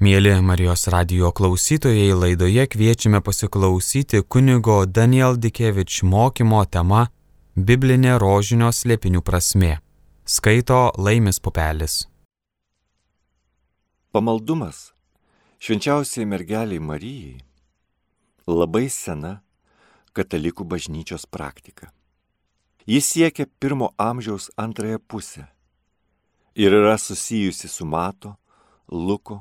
Mieli Marijos radijo klausytojai, laidoje kviečiame pasiklausyti kunigo Daniel Dikevič mokymo tema Biblinė rožinio slėpinių prasmė. Skaito Laimis Pupelis. Pamaldumas švenčiausiai mergeliai Marijai labai sena katalikų bažnyčios praktika. Jis siekia 1 amžiaus antrąją pusę ir yra susijusi su Mato, Luko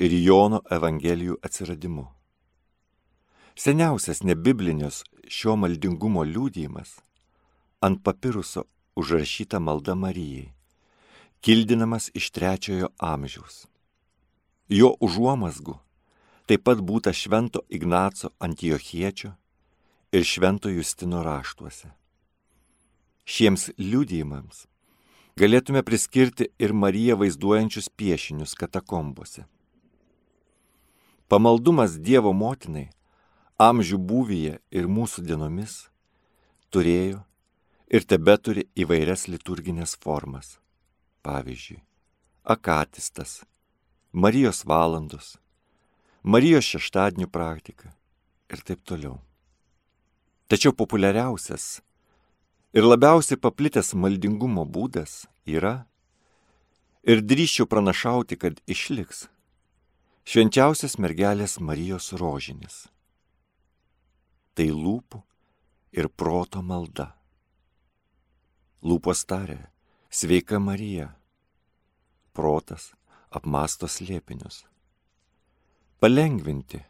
ir Jono evangelijų atsiradimu. Seniausias nebiblinės šio maldingumo liudijimas ant papiruso užrašyta malda Marijai, kildinamas iš 3 amžiaus. Jo užuomazgų taip pat būta švento Ignaco Antiochiečio ir švento Justino raštuose. Šiems liudijimams galėtume priskirti ir Mariją vaizduojančius piešinius katakombose. Pamaldumas Dievo motinai amžių būvyje ir mūsų dienomis turėjo ir tebeturi įvairias liturginės formas. Pavyzdžiui, akatistas, Marijos valandos, Marijos šeštadienių praktika ir taip toliau. Tačiau populiariausias ir labiausiai paplitęs maldingumo būdas yra, ir drįsčiau pranašauti, kad išliks, švenčiausias mergelės Marijos rožinis. Tai lūpų ir proto malda. Lūpos taria, sveika Marija, protas apmąsto slėpinius. Palengvinti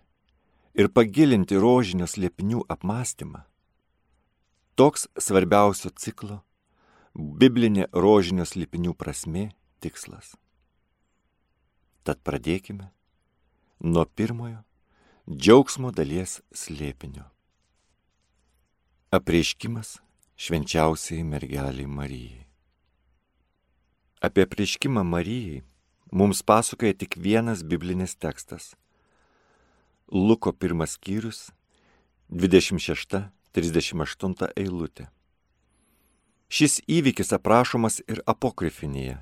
ir pagilinti rožinio slėpinių apmąstymą — toks svarbiausio ciklo biblinė rožinio slėpinių prasmė tikslas. Tad pradėkime nuo pirmojo džiaugsmo dalies slėpinio. Apreiškimas švenčiausiai mergeliai Marijai. Apie apreiškimą Marijai mums pasakoja tik vienas biblinis tekstas. Luko 1 skyrius, 26-38 eilutė. Šis įvykis aprašomas ir apokrifinėje,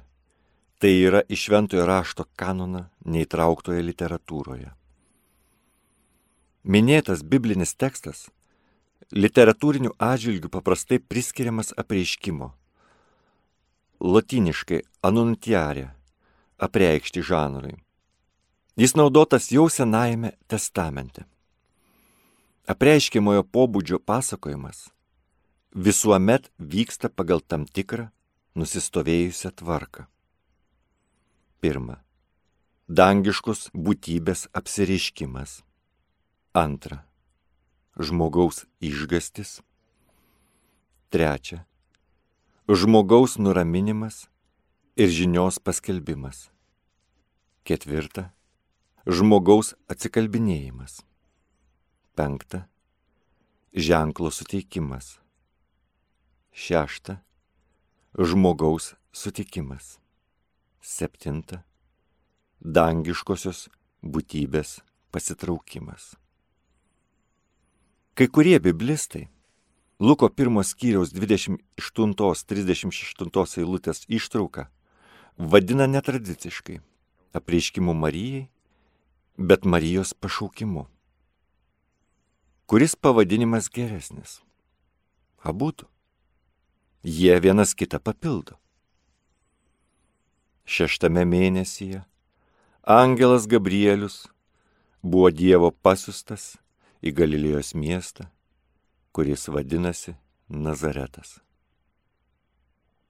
tai yra iš šventojo rašto kanoną neįtrauktoje literatūroje. Minėtas biblinis tekstas literatūrinių atžvilgių paprastai priskiriamas apreiškimo, lotyniškai annunciare, apreikšti žanrui. Jis naudotas jau Senajame testamente. Apreiškiamojo pobūdžio pasakojimas visuomet vyksta pagal tam tikrą nusistovėjusią tvarką. 1. Dangiškos būtybės apsireiškimas. 2. Žmogaus išgąstis. 3. Žmogaus nuraminimas ir žinios paskelbimas. 4. Žmogaus atsikalbinėjimas. 5. Ženklo suteikimas. 6. Žmogaus sutikimas. 7. Dangiškosios būtybės pasitraukimas. Kai kurie biblistai Luko 1 skyriaus 28-36 eilutės ištrauką vadina netradiciškai apreiškimu Marijai, bet Marijos pašaukimu. Kuris pavadinimas geresnis? Abudu. Jie vienas kitą papildo. 6 mėnesyje angelas Gabrielius buvo Dievo pasiustas į Galilėjos miestą, kuris vadinasi Nazaretas.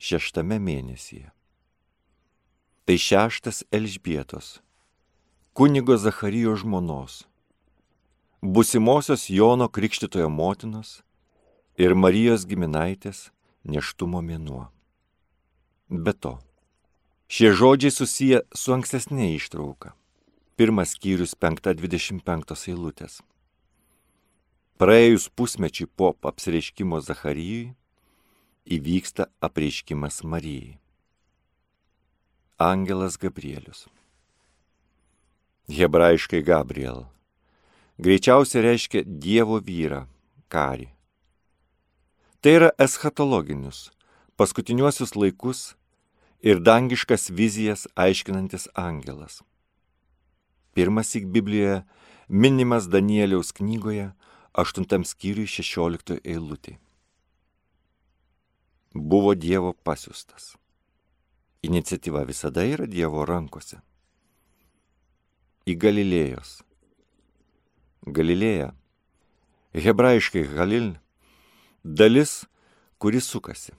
6 mėnesyje. Tai 6 Elžbietos, kunigo Zacharijo žmonos, būsimosios Jono Krikštytojo motinos ir Marijos giminaitės nėštumo mėnuo. Be to, šie žodžiai susiję su ankstesnė ištrauka. 1 skyrius 5-25 eilutės. Praėjus pusmečiui po apsireiškimo Zacharijui įvyksta apreiškimas Marijai. Angelas Gabrielius. Hebrajiškai Gabriel. Greičiausiai reiškia Dievo vyrą, karį. Tai yra eschatologinius, paskutiniuosius laikus ir dangiškas vizijas aiškinantis angelas. pirmąsyk Biblijoje minimas Danieliaus knygoje 8 skyriui 16 eilutė. Buvo Dievo pasiųstas. Iniciatyva visada yra Dievo rankose. Į Galilėjos. Galilėja, hebrajiškai Galil, dalis, kuri sukasi.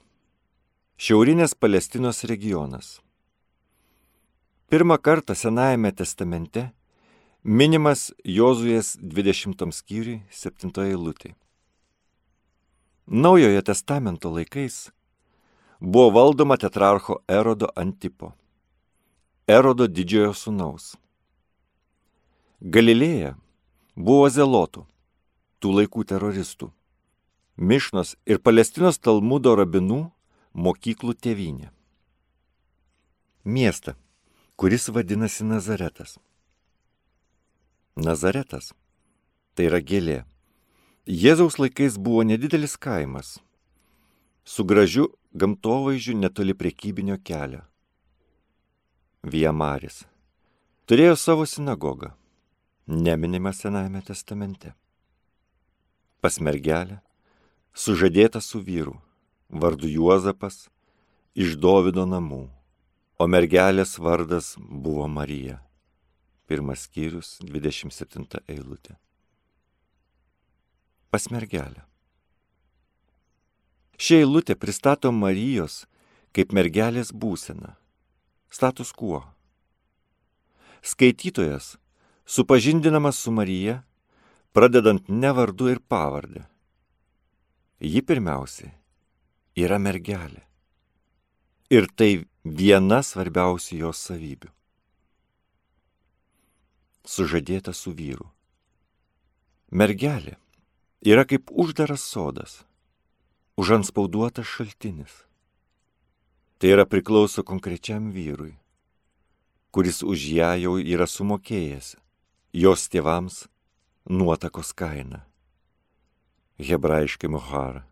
Šiaurinės Palestinos regionas. Pirmą kartą Senajame testamente minimas Jozuės 20 skyriui 7 eilutė. Naujojo testamento laikais buvo valdoma tetrarcho Erodo Antipo, Erodo didžiojo sūnaus. Galilėja buvo zelotų, tų laikų teroristų, Mišnos ir Palestinos Talmudo rabinų mokyklų tėvynė. Miestą, kuris vadinasi Nazaretas. Nazaretas – tai yra gėlė. Jėzaus laikais buvo nedidelis kaimas, su gražiu gamtovaizdžiu netoli prekybinio kelio. Via Maris. Turėjo savo sinagogą, neminima Senajame testamente. Pas mergelę, sužadėta su vyru, vardu Juozapas, iš Dovydo namų, o mergelės vardas buvo Marija. 1 skyrius 27 eilutė. Pas mergelę. Ši eilutė pristato Marijos kaip mergelės būseną, status quo. Skaitytojas supažindinamas su Marija, pradedant ne vardu ir pavardę. Ji pirmiausiai yra mergelė. Ir tai viena svarbiausių jos savybių. Sužadėta su vyru. Mergelė yra kaip uždaras sodas, užantspauduotas šaltinis. Tai yra priklauso konkrečiam vyrui, kuris už ją jau yra sumokėjęs jos tėvams nuotakos kainą, hebrajiškai mohara,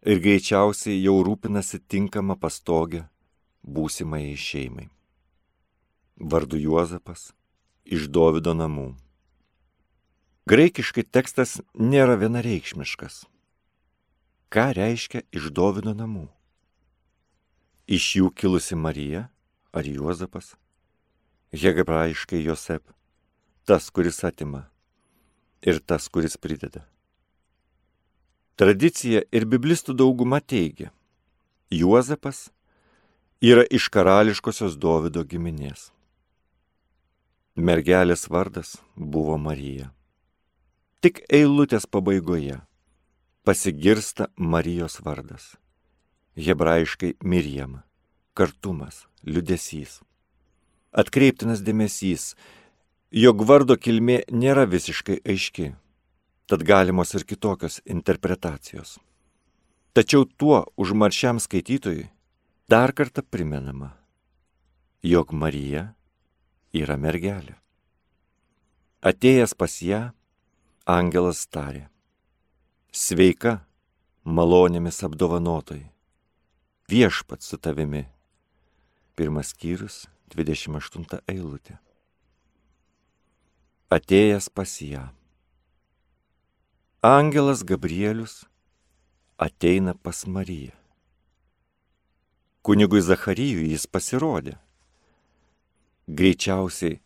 ir greičiausiai jau rūpinasi tinkamą pastogę būsimai šeimai. Vardu Juozapas, iš Dovydo namų. Graikiškai tekstas nėra vienareikšmiškas. Ką reiškia iš Dovydo namų? Iš jų kilusi Marija ar Juozapas? Hebrajiškai Josep, tas, kuris atima, ir tas, kuris prideda. Tradicija ir biblistų dauguma teigia, Juozapas yra iš karališkosios Dovydo giminės. Mergelės vardas buvo Marija. Tik eilutės pabaigoje pasigirsta Marijos vardas. Hebrajiškai Mirjam, kartumas, liūdesys. Atkreiptinas dėmesys, jog vardo kilmė nėra visiškai aiški, tad galimos ir kitokios interpretacijos. Tačiau tuo užmaršiam skaitytojui dar kartą primenama, jog Marija yra mergelė. Atėjęs pas ją, angelas tarė: Sveika, malonėmis apdovanotoji, viešpats su tavimi. 1 skyrius 28 eilutė. Atėjęs pas ją. Angelas Gabrielius ateina pas Mariją. Kunigui Zacharijui jis pasirodė. Greičiausiai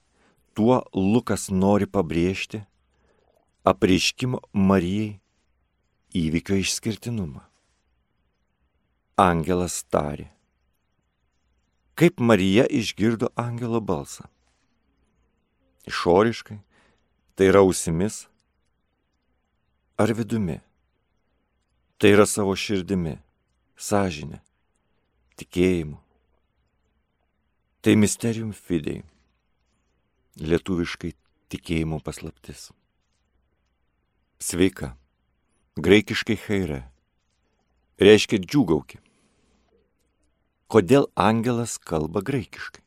tuo Lukas nori pabrėžti apreiškimo Marijai įvykio išskirtinumą. Angelas tarė. Kaip Marija išgirdo angelo balsą? Išoriškai, tai yra ausimis, ar vidumi? Tai yra savo širdimi, sąžine, tikėjimu. Tai mysterium fidei, lietuviškai tikėjimo paslaptis. Sveika, graikiškai chaire, reiškia džiūgauki. Kodėl angelas kalba graikiškai?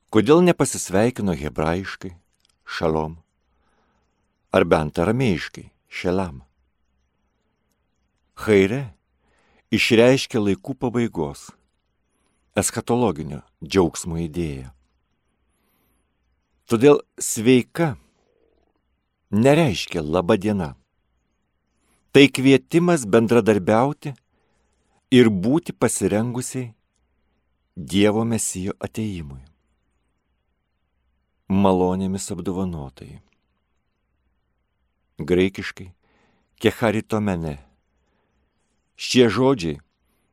Kodėl nepasisveikino hebrajiškai, šalom, ar bent aramėjiškai, šelam? Chaire išreiškia laikų pabaigos, eschatologinio džiaugsmo idėją. Todėl sveika nereiškia laba diena. Tai kvietimas bendradarbiauti ir būti pasirengusiai Dievo Mesijo atėjimui. Malonėmis apdovanotai. Graikiškai kecharitomene. Šie žodžiai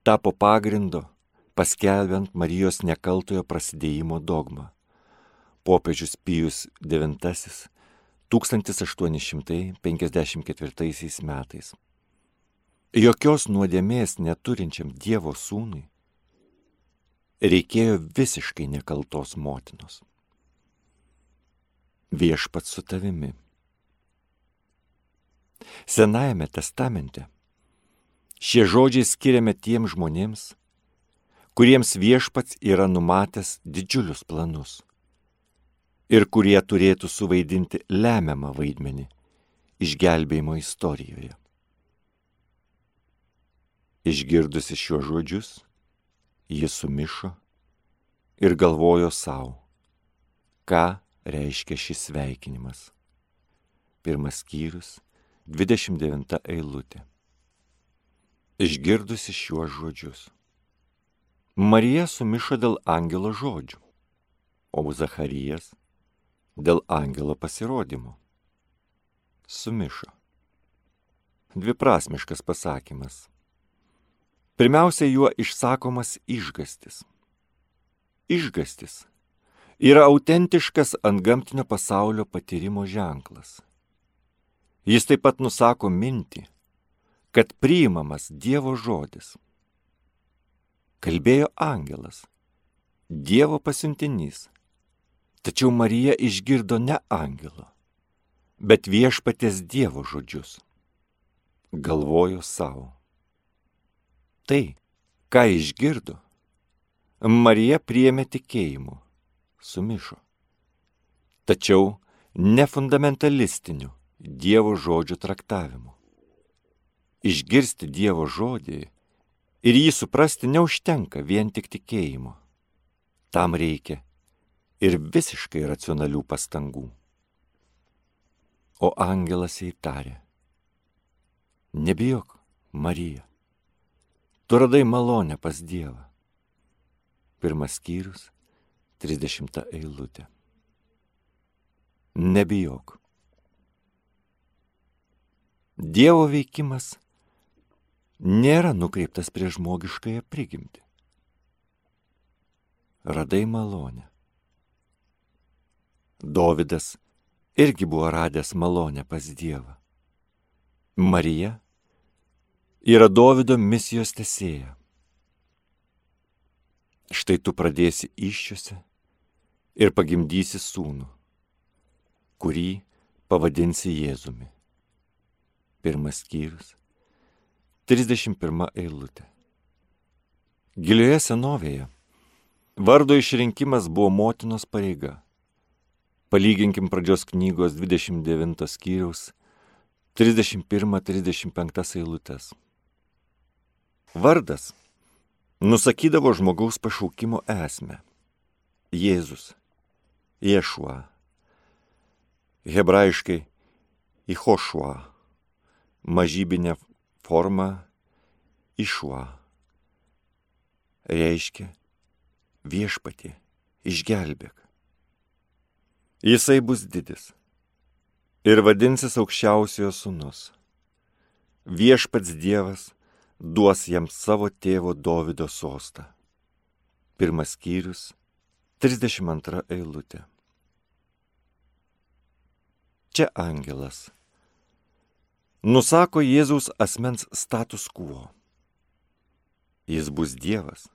tapo pagrindo paskelbiant Marijos nekaltojo prasidėjimo dogmą. Popiežius Pijus IX 1854 metais. Jokios nuodėmės neturinčiam Dievo sūnui reikėjo visiškai nekaltos motinos. Viešpats su tavimi. Senajame testamente šie žodžiai skiriami tiem žmonėms, kuriems viešpats yra numatęs didžiulius planus ir kurie turėtų suvaidinti lemiamą vaidmenį išgelbėjimo istorijoje. Išgirdusi šiuos žodžius, ji sumišo ir galvojo savo, ką reiškia šis sveikinimas. 1 skyrius, 29 eilutė. Išgirdusi šiuos žodžius. Marija sumišo dėl angelo žodžių, o Zacharijas dėl angelo pasirodymo. Sumišo. Dviprasmiškas pasakymas. Pirmiausia, juo išsakomas išgąstis. Išgąstis yra autentiškas antgamtinio pasaulio patyrimo ženklas. Jis taip pat nusako mintį, kad priimamas Dievo žodis. Kalbėjo angelas, Dievo pasiuntinys, tačiau Marija išgirdo ne angelo, bet viešpaties Dievo žodžius. Galvojo savo. Tai, ką išgirdo, Marija priėmė tikėjimu, sumišo. Tačiau ne fundamentalistiniu Dievo žodžių traktavimu. Išgirsti Dievo žodį ir jį suprasti neužtenka vien tik tikėjimo. Tam reikia ir visiškai racionalių pastangų. O angelas jai tarė: Nebijok, Marija, tu radai malonę pas Dievą. 1 skyrius, 30 eilutė. Nebijok. Dievo veikimas nėra nukreiptas prieš žmogiškąją prigimtį. Radai malonę. Dovydas irgi buvo radęs malonę pas Dievą. Marija yra Dovydo misijos tęsėja. Štai tu pradėsi įsčiose ir pagimdysi sūnų, kurį pavadinsi Jėzumi. 1 skyrius, 31 eilutė. Gilioje senovėje vardo išrinkimas buvo motinos pareiga. Palyginkim pradžios knygos 29 skyriaus 31-35 eilutės. Vardas nusakydavo žmogaus pašaukimo esmę. Jėzus, Ješua, hebrajiškai Ihošua, mažybinė forma Išua, reiškia viešpatie, išgelbėk. Jisai bus didis ir vadinsis aukščiausiojo sūnus. Viešpats Dievas duos jam savo tėvo Dovydo sostą. 1 skyrius, 32 eilutė. Čia angelas nusako Jėzaus asmens status quo. Jis bus Dievas,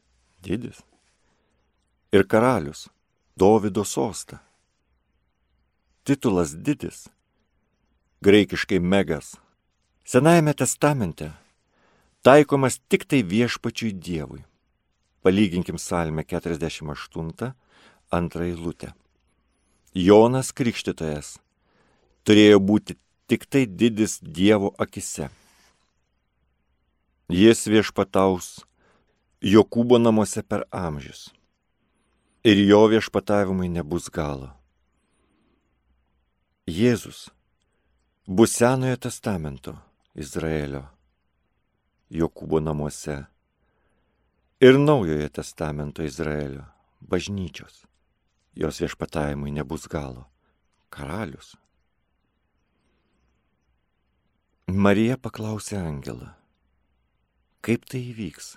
didis, ir karalius, Dovydo sostą. Titulas didis, graikiškai megas, Senajame testamente taikomas tik tai viešpačiui Dievui. Palyginkim Psalmę 48, 2 eilutę. Jonas Krikštytojas turėjo būti tik tai didis Dievo akise. Jis viešpataus Jokūbo namuose per amžius. Ir jo viešpatavimui nebus galo. Jėzus bus Senojo testamento Izraelio, Jokūbo namuose, ir Naujojo testamento Izraelio, bažnyčios. Jos viešpatavimui nebus galo. Karalius. Marija paklausė angelą, kaip tai įvyks,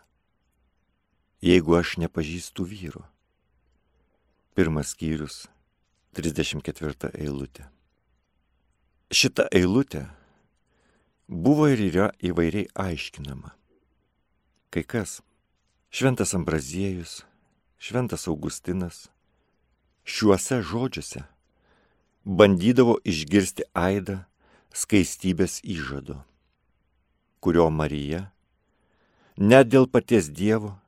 jeigu aš nepažįstu vyro? 1 skyrius, 34 eilutė. Šita eilutė buvo ir yra įvairiai aiškinama. Kai kas, šventas Ambraziejus, šventas Augustinas, šiuose žodžiuose bandydavo išgirsti aidą skaistybės įžado, kurio Marija, net dėl paties Dievo,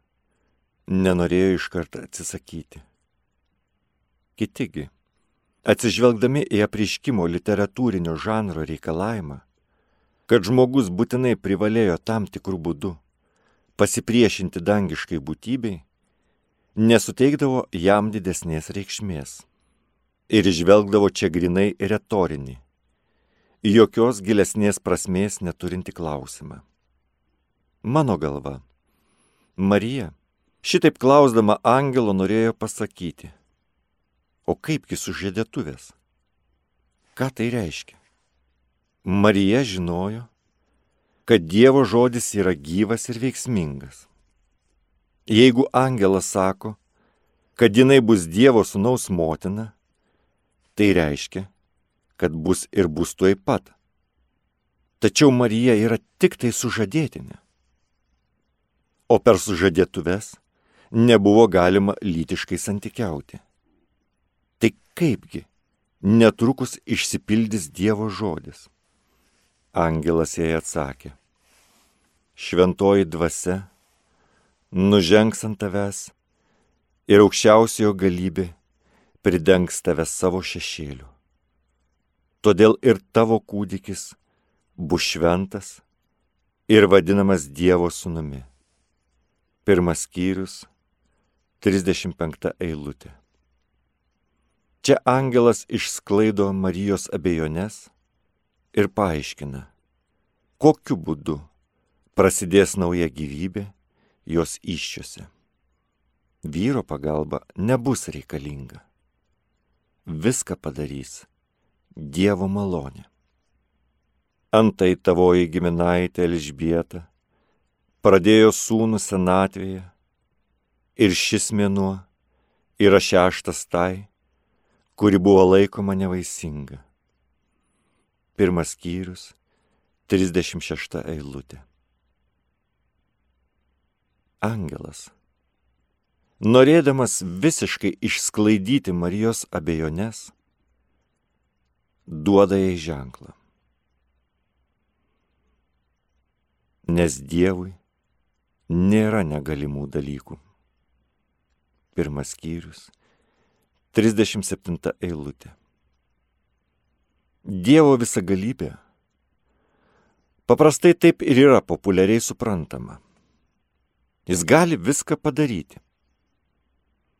nenorėjo iškart atsisakyti. Kitigi, atsižvelgdami į apreiškimo literatūrinio žanro reikalavimą, kad žmogus būtinai privalėjo tam tikrų būdų pasipriešinti dangiškai būtybei, nesuteikdavo jam didesnės reikšmės ir žvelgdavo čia grinai retorinį, jokios gilesnės prasmės neturinti klausimą. Mano galva, Marija šitaip klausdama angelo norėjo pasakyti, o kaipgi sužadėtuvės? Ką tai reiškia? Marija žinojo, kad Dievo žodis yra gyvas ir veiksmingas. Jeigu angelas sako, kad jinai bus Dievo sūnaus motina, tai reiškia, kad bus ir bus tuoj pat. Tačiau Marija yra tik tai sužadėtinė. O per sužadėtuves nebuvo galima lytiškai santykiauti. Tai kaipgi netrukus išsipildys Dievo žodis? Angelas jai atsakė, šventoji dvasia nužengs ant tavęs ir aukščiausiojo galybė pridengs tave savo šešėliu. Todėl ir tavo kūdikis bus šventas ir vadinamas Dievo sūnumi. 1 skyrius, 35 eilutė. Čia angelas išsklaido Marijos abejones ir paaiškina, kokiu būdu prasidės nauja gyvybė jos įsčiose. Vyro pagalba nebus reikalinga. Viską padarys Dievo malonė. Antai tavoji giminaitė Elžbieta pradėjo sūnų senatvėje ir šis mėnuo yra 6 tai, kuri buvo laikoma nevaisinga. 1 skyrius, 36 eilutė. Angelas, norėdamas visiškai išsklaidyti Marijos abejones, duoda jai ženklą. Nes Dievui nėra negalimų dalykų. 1 skyrius, 37 eilutė. Dievo visagalybė paprastai taip ir yra populiariai suprantama. Jis gali viską padaryti.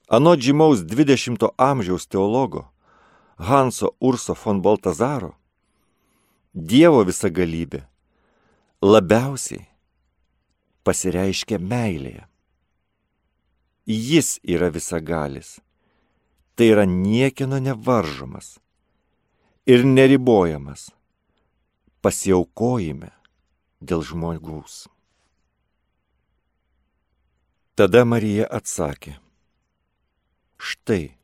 Anot žymaus 20 amžiaus teologo Hanso Urso von Baltazaro, Dievo visagalybė labiausiai pasireiškia meilėje. Jis yra visagalis, tai yra niekieno nevaržomas ir neribojamas pasiaukojime dėl žmogaus. Tada Marija atsakė, štai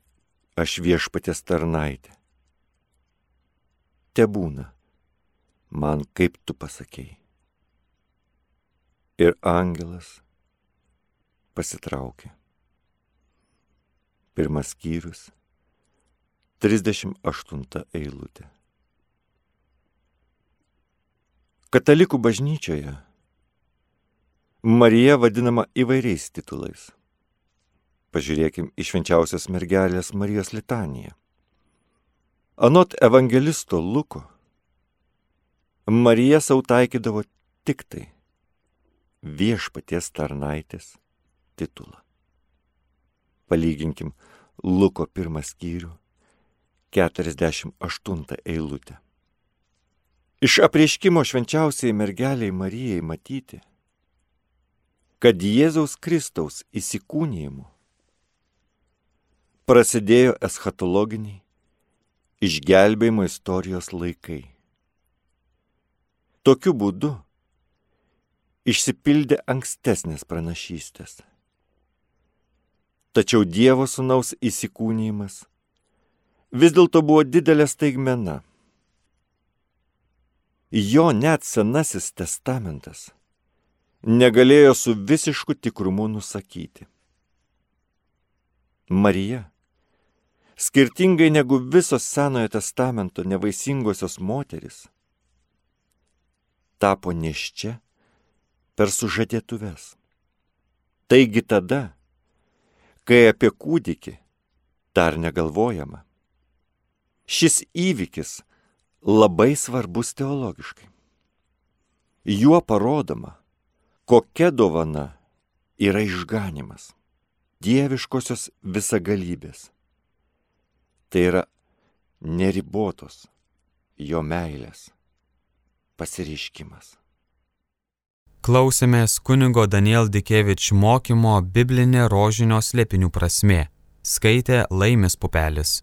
aš viešpaties tarnaitė. Tebūna man, kaip tu pasakei. Ir angelas pasitraukė. 1 skyrius, 38 eilutė. Katalikų bažnyčioje Marija vadinama įvairiais titulais. Pažiūrėkim į švenčiausios mergelės Marijos litaniją. Anot evangelisto Luko, Marija sau taikydavo tik tai viešpaties tarnaitės titulą. Palyginkim Luko 1 skyrių, 48 eilutę. Iš apreiškimo švenčiausiai mergeliai Marijai matyti, kad Jėzaus Kristaus įsikūnijimu prasidėjo eschatologiniai išgelbėjimo istorijos laikai. Tokiu būdu išsipildė ankstesnės pranašystės. Tačiau Dievo Sūnaus įsikūnijimas vis dėlto buvo didelė staigmena. Jo net Senasis testamentas negalėjo su visišku tikrumu nusakyti. Marija, skirtingai negu visos Senojo testamento nevaisingosios moterys, tapo nėščia per sužadėtuves. Taigi tada, kai apie kūdikį dar negalvojama, šis įvykis labai svarbus teologiškai. Juo parodoma, kokia dovana yra išganymas, dieviškosios visagalybės. Tai yra neribotos jo meilės pasireiškimas. Klausėmės kunigo Daniel Dikevič mokymo Biblinė rožinio slėpinių prasmė. Skaitė Laimis Pupelis.